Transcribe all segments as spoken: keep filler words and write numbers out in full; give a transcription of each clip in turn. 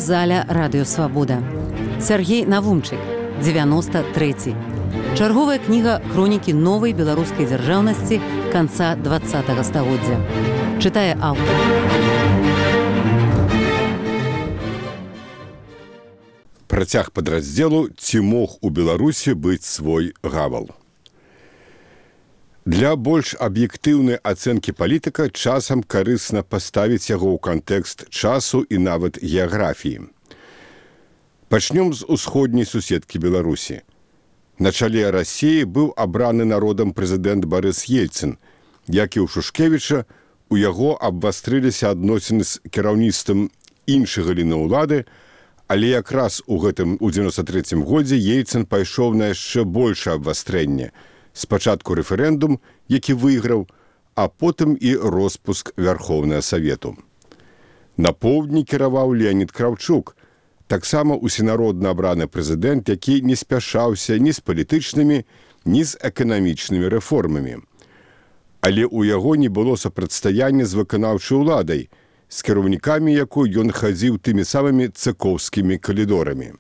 зала радыёвабода. Сергей Навумчык, девяносто третий. Чарговая кніга хронікі новай беларускай дзяржаўнасці канца двадцатага стагоддзя. Чытае аўтар. Працяг падраздзелу «Ці мог у Беларусі быць свой гавал». Для больш аб'ектыўнай ацэнкі палітыка часам карысна паставіць яго ў кантэкст часу і нават геаграфіі. Пачнём з усходняй суседкі Беларусі. На чале Расіі быў абраны народам прэзідэнт Барыс Ельцын, як і ў Шушкевіча, у яго абвастрыліся адносіны з кіраўніцтвам іншых галінаў улады, але якраз у гэтым у дзевяносто трэцім годзе Ельцын пайшоў на яшчэ большае абвастрэнне. Спачатку рэферэндум, які выйграў, а потым і роспуск Вярхоўнага Савету. На поўдні кіраваў Леанід Краўчук, таксама усенародна абраны прэзідэнт, які не спяшаўся ні з палітычнымі, ні з эканамічнымі рэформамі. Але ў яго не было супрацьстаяння з выканаўчай уладай, з кіраўнікамі якой ён хадзіў тымі самымі цыкоўскімі калідорамі.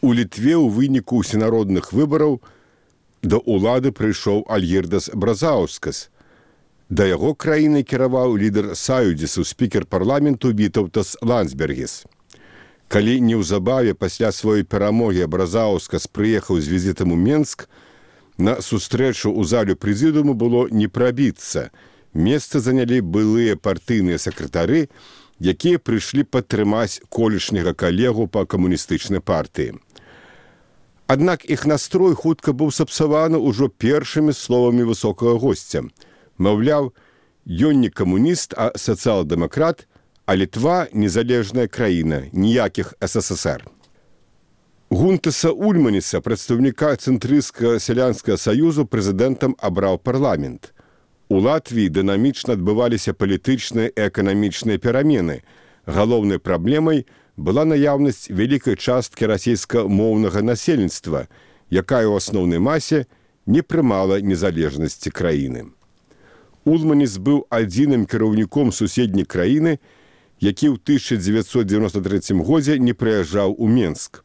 У Літве ў выніку усенародных выбараў да ўлады прыйшоў Альгірдас Бразаускас. Да яго краінай кіраваў лідар Саюдзісу, спікер парламенту Вітаўтас Ландсбергіс. Калі неўзабаве пасля сваёй перамогі Бразаускас прыехаў з візітам у Менск, на сустрэчу ў залю прэзідыуму было не прабіцца. Месца занялі былыя партыйныя сакратары, якія прыйшлі падтрымаць колішняга калегу па камуністычнай партыі. Аднак іх настрой хутка быў сапсаваны ўжо першымі словамі высокага госця. Маўляў, ён не камуніст, а сацыял-дэмакрат, а Літва – незалежная краіна, ніякіх эс эс эс эр. Гунтаса Ульманіса, прадстаўніка цэнтрысцкага сялянскага саюзу, прэзідэнтам абраў парламент. У Латвіі дынамічна адбываліся палітычныя і эканамічныя перамены. Галоўнай праблемай была наяўнасць вялікай часткі расійскамоўнага насельніцтва, якая ў асноўнай масе не прымала незалежнасці краіны. Ульманіс быў адзіным кіраўніком суседняй краіны, які ў тысяча дзевяцьсот дзевяносто трэцім годзе не прыязджаў у Менск.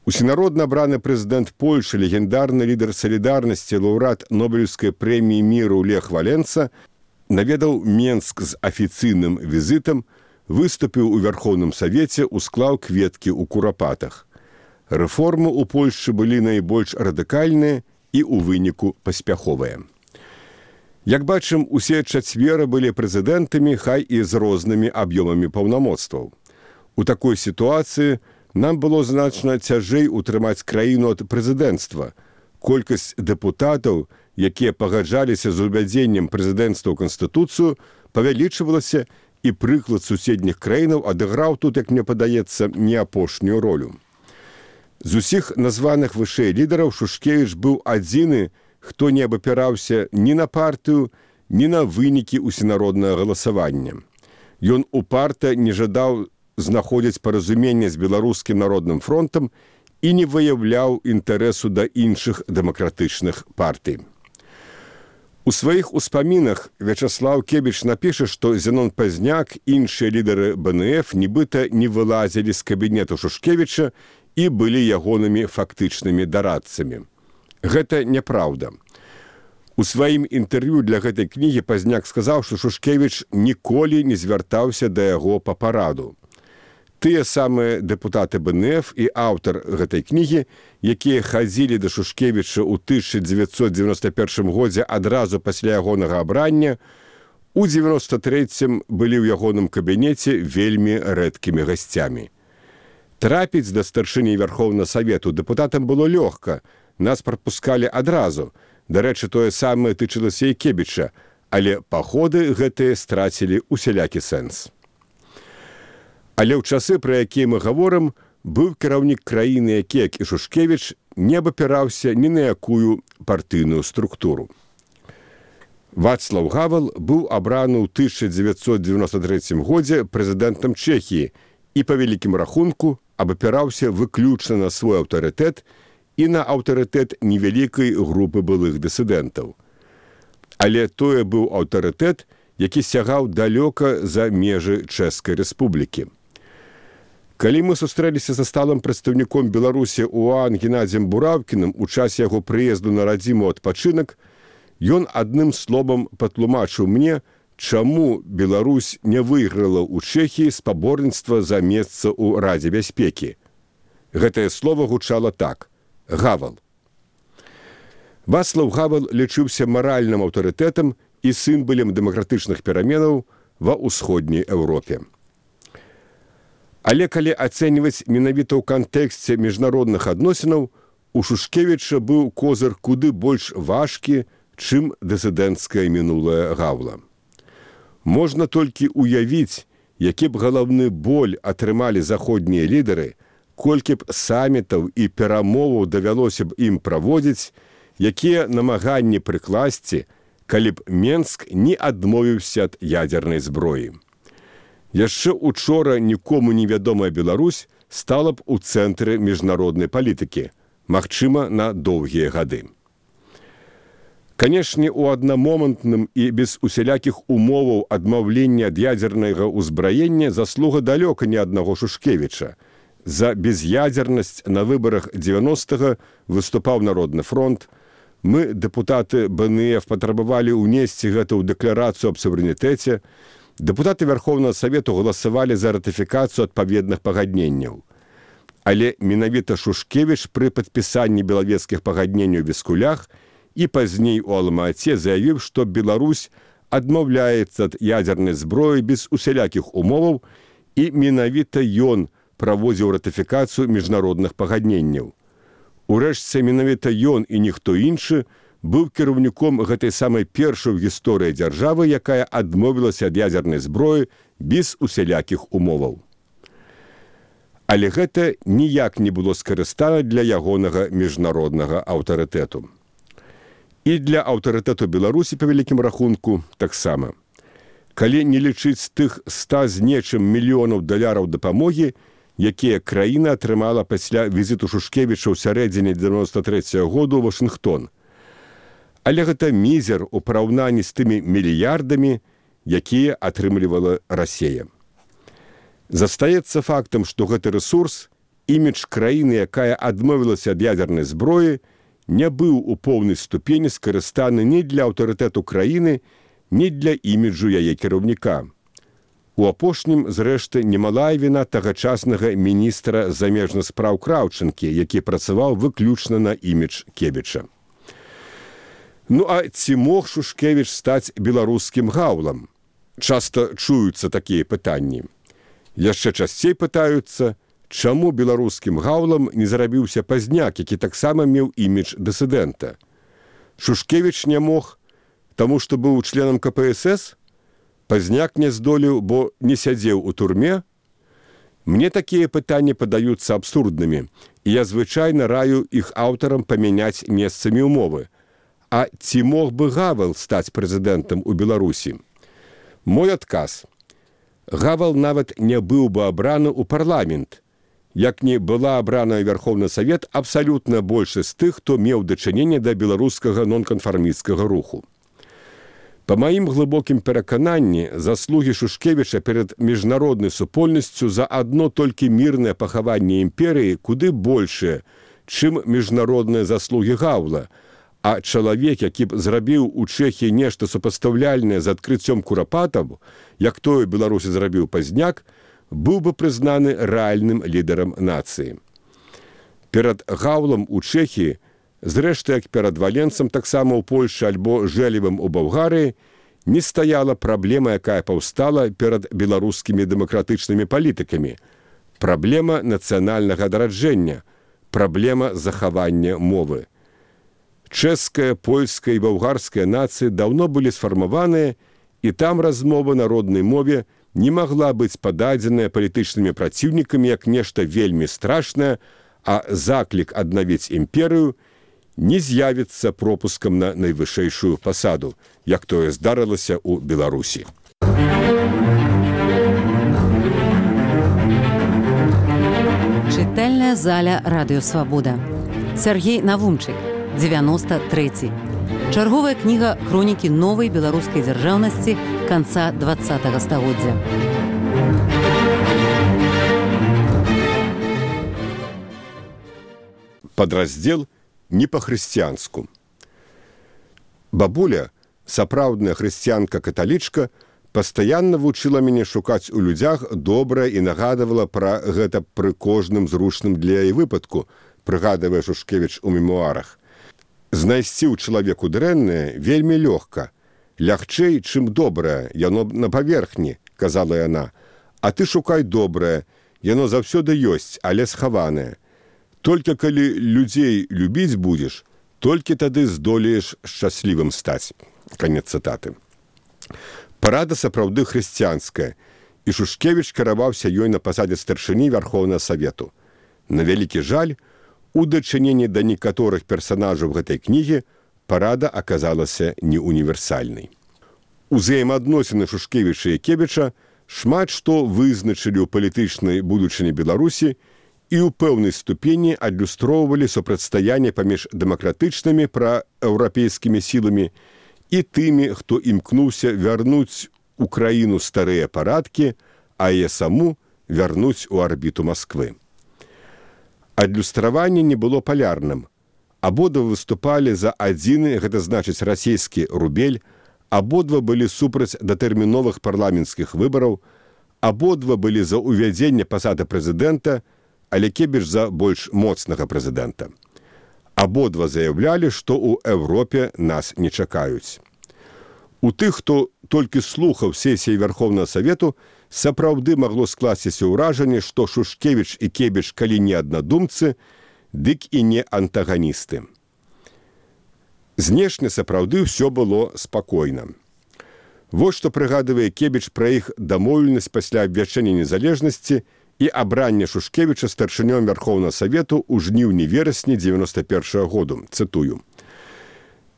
Усенародна абраны прэзідэнт Польшы, легендарны лідар салідарнасці, лаўрэат Нобелеўскай прэміі міру Лех Валенса, наведаў Менск з афіцыйным візітам, выступіў у Вярхоўным Савеце, усклаў кветкі ў курапатах. Рэформы ў Польшчы былі найбольш радыкальныя і ў выніку паспяховыя. Як бачым, усе чацвера былі прэзідэнтамі, хай і з рознымі аб'ёмамі паўнамоцтваў. У такой сітуацыі нам было значна цяжэй утрымаць краіну ад прэзідэнцтва. Колькасць дэпутатаў, якія пагаджаліся з увядзеннем прэзідэнцтва ў Канстытуцыю, павялічвалася, і прыклад суседніх краінаў адыграў тут, як мне падаецца, не апошнюю ролю. З усіх названых вышэй лідараў Шушкевіч быў адзіны, хто не абапіраўся ні на партыю, ні на вынікі усенароднага галасавання. Ён упарта не жадаў знаходзіць паразуменне з беларускім народным фронтам і не выяўляў інтарэсу да іншых дэмакратычных партый. У сваіх успамінах Вячаслаў Кебіч напіша, што Зенон Пазняк, іншыя лідары бэ эн эф нібыта не вылазілі з кабінету Шушкевіча і былі ягонымі фактычнымі дарадцамі. Гэта няпраўда. У сваім інтэрв'ю для гэтай кнігі Пазняк сказаў, што Шушкевіч ніколі не звяртаўся да яго па параду. Тыя самыя дэпутаты бэ эн эф і аўтар гэтай кнігі, якія хадзілі да Шушкевіча ў тысяча дзевяцьсот дзевяносто першым годзе адразу пасля ягонага абрання, у дзевяносто трэцім былі ў ягоным кабінеце вельмі рэдкімі гасцямі. Трапіць да старшыні Вярхоўнага Савету дэпутатам было лёгка, нас прапускалі адразу. Дарэчы, тое самае тычылася і Кебіча, але паходы гэтыя страцілі усялякі сэнс. Але ў часы, пра якія мы гаворым, быў кіраўнік краіны, які, як і Шушкевіч, не абапіраўся ні на якую партыйную структуру. Вацлаў Гавал быў абраны ў тысяча дзевяцьсот дзевяносто трэцім годзе прэзідэнтам Чэхіі і, па вялікім рахунку, абапіраўся выключна на свой аўтарытэт і на аўтарытэт невялікай групы былых дысідэнтаў. Але тое быў аўтарытэт, які сягаў далёка за межы Чэшскай рэспублікі. Калі мы сустрэліся са сталым прадстаўніком Беларусі УАН Геннадзем Бураўкіным у часе яго прыезду на радзіму адпачынак, ён адным словам патлумачыў мне, чаму Беларусь не выйграла ў Чэхіі спаборніцтва за месца ў Радзе бяспекі. Гэтае слово гучала так – Гавал. Вацлаў Гавал лічыўся маральным аўтарытэтам і сімвалам дэмакратычных пераменаў ва ўсходняй Еўропе. Але калі ацэньваць менавіта ў кантэксце міжнародных адносінаў, у Шушкевіча быў козыр куды больш важкі, чым дысідэнцкае мінулае Гаўла. Можна толькі ўявіць, які б галаўны боль атрымалі заходнія лідары, колькі б самітаў і перамоваў давялося б ім праводзіць, якія намаганні прыкласці, калі б Менск не адмовіўся ад ядзернай зброі. Яшчэ учора нікому невядомая Беларусь стала б у цэнтры міжнароднай палітыкі, магчыма, на доўгія гады. Канешне, у аднамомантным і без усялякіх умоваў адмаўлення ад ядзернага ўзбраення заслуга далёка не аднаго Шушкевіча. За без'ядзернасць на выбарах дзевяностага выступаў Народны фронт. Мы, дэпутаты бэ эн эф, патрабавалі ўнесці гэта ў дэкларацыю аб суверэнітэце. Дэпутаты Верховнага Савету галасавалі за ратыфікацыю адпаведных пагадненняў. Але менавіта Шушкевіч пры падпісанні белавежскіх пагадненняў ў Бескулях і пазней у Алма-Ате заявіў, што Беларусь адмаўляецца ад ядзернай зброі без усялякіх умоваў, і менавіта ён праводзіў ратыфікацыю міжнародных пагадненняў. Урэшце, менавіта ён і ніхто іншы быў кіраўніком гэтай самай першай у гісторыі дзяржавы, якая адмовілася ад ядзернай зброі без усялякіх умоваў. Але гэта ніяк не было скарыстана для ягонага міжнароднага аўтарытэту. І для аўтарытэту Беларусі, па вялікім рахунку, таксама. Калі не лічыць тых ста з нечым мільёнаў даляраў дапамогі, якія краіна атрымала пасля візіту Шушкевіча ў сярэдзіне дзевяноста трэцяга году ў Вашынгтон. Але гэта мізер у параўнанні з тымі мільярдамі, якія атрымлівала Расія. Застаецца фактам, што гэты рэсурс, імідж краіны, якая адмовілася ад ядзернай зброі, не быў у поўнай ступені скарыстаны ні для аўтарытэту краіны, ні для іміджу яе кіраўніка. У апошнім, зрэшты, немалая віна тагачаснага міністра замежных спраў Краўчынкі, які працаваў выключна на імідж Кебіча. Ну а ці мог Шушкевіч стаць беларускім Гаўлам? Часта чуюцца такія пытанні. Яшчэ часцей пытаюцца, чаму беларускім Гаўлам не зарабіўся Пазняк, які таксама меў імідж дысідэнта. Шушкевіч не мог, таму што быў членам ка пэ эс эс? Пазняк не здолеў, бо не сядзеў у турме? Мне такія пытанні падаюцца абсурднымі, і я звычайна раю іх аўтарам памяняць месцамі ўмовы. А ці мог бы Гавал стаць прэзідэнтам у Беларусі? Мой адказ. Гавал нават не быў бы абраны ў парламент, як не была абрана Верховны Савет абсалютна большасць тых, хто меў дачыненне да беларускага нонканфармісцкага руху. Па маім глыбокім перакананні, заслугі Шушкевіча перад міжнароднай супольнасцю за адно толькі мірнае пахаванне імперыі куды большае, чым міжнародныя заслугі Гаўла, а чалавек, які б зрабіў у Чэхіі нешта супастаўляльнае з адкрыццём курапатаў, як тое Беларусі зрабіў Пазняк, быў бы прызнаны рэальным лідарам нацыі. Перад Гаўлам у Чэхіі, зрэшты, як перад Валенцам, таксама ў Польшчы альбо Жэлевым у Балгарыі, не стаяла праблема, якая паўстала перад беларускімі дэмакратычнымі палітыкамі. Праблема нацыянальнага адраджэння, праблема захавання мовы. Чэшская, польская і балгарская нацыі даўно былі сфармаваныя, і там размова на роднай мове не магла быць пададзеная палітычнымі праціўнікамі як нешта вельмі страшнае, а заклік аднавіць імперыю не з'явіцца пропускам на найвышэйшую пасаду, як тое здарылася ў Беларусі. Чытальная заля Радыё Свабода. Сергей Навумчык, дзевяноста трэці. Чарговая кніга хронікі новай беларускай дзяржаўнасці канца дваццатага стагоддзя. Падраздзел не па-хрысціянску. Бабуля, сапраўдная хрысціянка-каталічка, пастаянна вучыла мяне шукаць у людзях добрае і нагадывала пра гэта пры кожным зручным для яе выпадку, прыгадывае Шушкевіч у мемуарах. Знайсці ў чалавеку дрэннае вельмі лёгка. Лягчэй, чым добрае, яно на паверхні, казала яна. А ты шукай добрае, яно заўсёды ёсць, але схаванае. Толькі калі людзей любіць будзеш, толькі тады здолееш шчаслівым стаць. Канец цытаты. Парада сапраўды хрысціянская, і Шушкевіч кіраваўся ёй на пасадзе старшыні Вярхоўнага Савету. На вялікі жаль, у дачыненні да некаторых персанажаў гэтай кнігі парада аказалася не універсальнай. Узаемаадносіны Шушкевіча і Кебіча шмат што вызначылі ў палітычнай будучыні Беларусі і ў пэўнай ступені адлюстроўвалі супрацьстаянне паміж дэмакратычнымі праеўрапейскімі сіламі і тымі, хто імкнуўся вярнуць у краіну старыя парадкі, а яе саму вярнуць у арбіту Масквы. Адлюстраванне не было палярным. Абодва выступалі за адзіны, гэта значыць расійскі рубель, абодва былі супраць датэрміновых парламенцкіх выбараў, абодва былі за ўвядзенне пасады прэзідэнта, але Кебіч за больш моцнага прэзідэнта. Абодва заяўлялі, што ў Еўропе нас не чакаюць. У тых, хто толькі слухаў сесіі Вярхоўнага Савету, сапраўды магло скласціся ўражанне, што Шушкевіч і Кебіч калі не аднадумцы, дык і не антаганісты. Знешне сапраўды ўсё было спакойна. Вось што прыгадывае Кебіч пра іх дамоўленасць пасля абвяшчэння незалежнасці і абрання Шушкевіча старшынём Вярхоўнага Савету ў жніўні-верасні дзевяноста першага году. Цытую.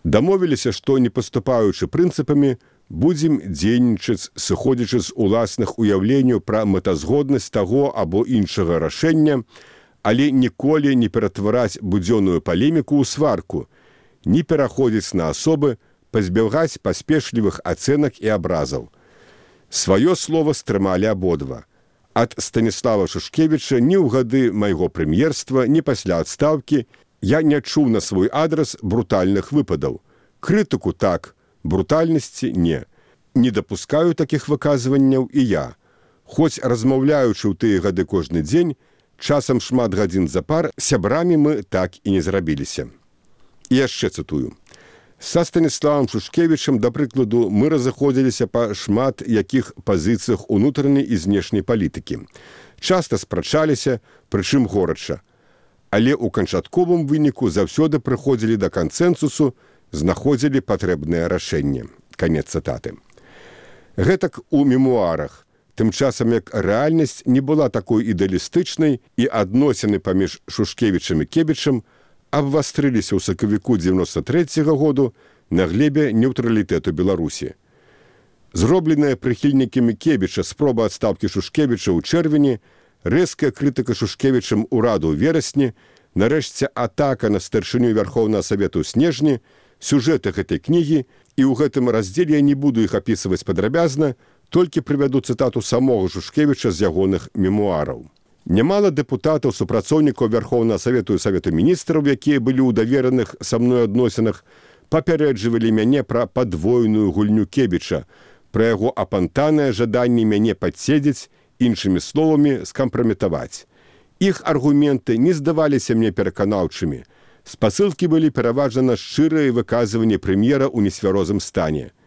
Дамовіліся, што, не паступаючы прынцыпамі, будзем дзейнічаць, сыходзячы з уласных уяўленняў пра мэтазгоднасць таго або іншага рашэння, але ніколі не ператвараць будзённую палеміку ў сварку, не пераходзіць на асобы, пазбегаць паспешлівых ацэнак і абразаў. Сваё слова стрымалі абодва. Ад Станіслава Шушкевіча ні ў гады майго прэм'ерства, ні пасля адстаўкі я не чуў на свой адрас брутальных выпадаў. Крытыку так, брутальнасці не. Не дапускаю такіх выказванняў і я. Хоць размаўляючы ў тыя гады кожны дзень, часам шмат гадзін запар, сябрамі мы так і не зрабіліся. І яшчэ цытую. Са Станіславам Шушкевічам, да прыкладу, мы разыходзіліся па шмат якіх пазіцыях унутранай і знешняй палітыкі. Часта спрачаліся, прычым горача. Але ў канчатковым выніку заўсёды прыходзілі да кансэнсусу, знаходзілі патрэбнае рашэнне. Канец цытаты. Гэтак у мемуарах. Тым часам, як рэальнасць не была такой ідэалістычнай і адносіны паміж Шушкевічам і Кебічам абвастрыліся ў сакавіку дзевяноста трэцяга году на глебе нейтралітэту Беларусі. Зробленая прыхільнікамі Кебіча спроба адстаўкі Шушкевіча ў чэрвені, рэзкая крытыка Шушкевічам ураду ў верасні, нарэшце атака на старшыню Вярхоўнага Савету ў снежні, сюжэты гэтай кнігі, і ў гэтым раздзеле я не буду іх апісваць падрабязна, толькі прывяду цытату самога Шушкевіча з ягоных мемуараў. Нямала дэпутатаў, супрацоўнікаў Вярхоўнага Савету і Савету міністраў, якія былі ў давераных са мной адносінах, папярэджвалі мяне пра падвойную гульню Кебіча, пра яго апантанае жаданне мяне падседзець, іншымі словамі скампраметаваць. Іх аргументы не здаваліся мне пераканаўчымі. Спасылкі былі пераважна шчырыя выказванні прэм'ера ў несвярозым стане.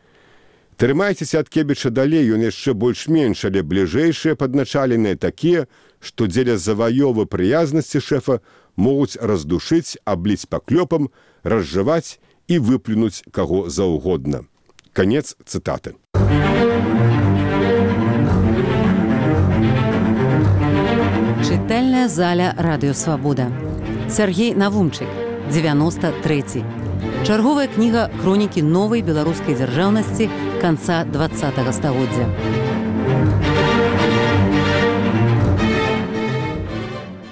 Трымайцеся ад Кебіча далей, ён яшчэ больш-менш, але бліжэйшыя падначаленыя такія, што дзеля заваёвы прыязнасці шэфа могуць раздушыць, абліць паклёпам, разжаваць і выплюнуць каго заўгодна. Канец цытаты. Чытальная заля Радыё Свабода. Сяргей Навумчык, дзевяноста трэці. Чарговая кніга хронікі новай беларускай дзяржаўнасці канца дваццатага стагоддзя.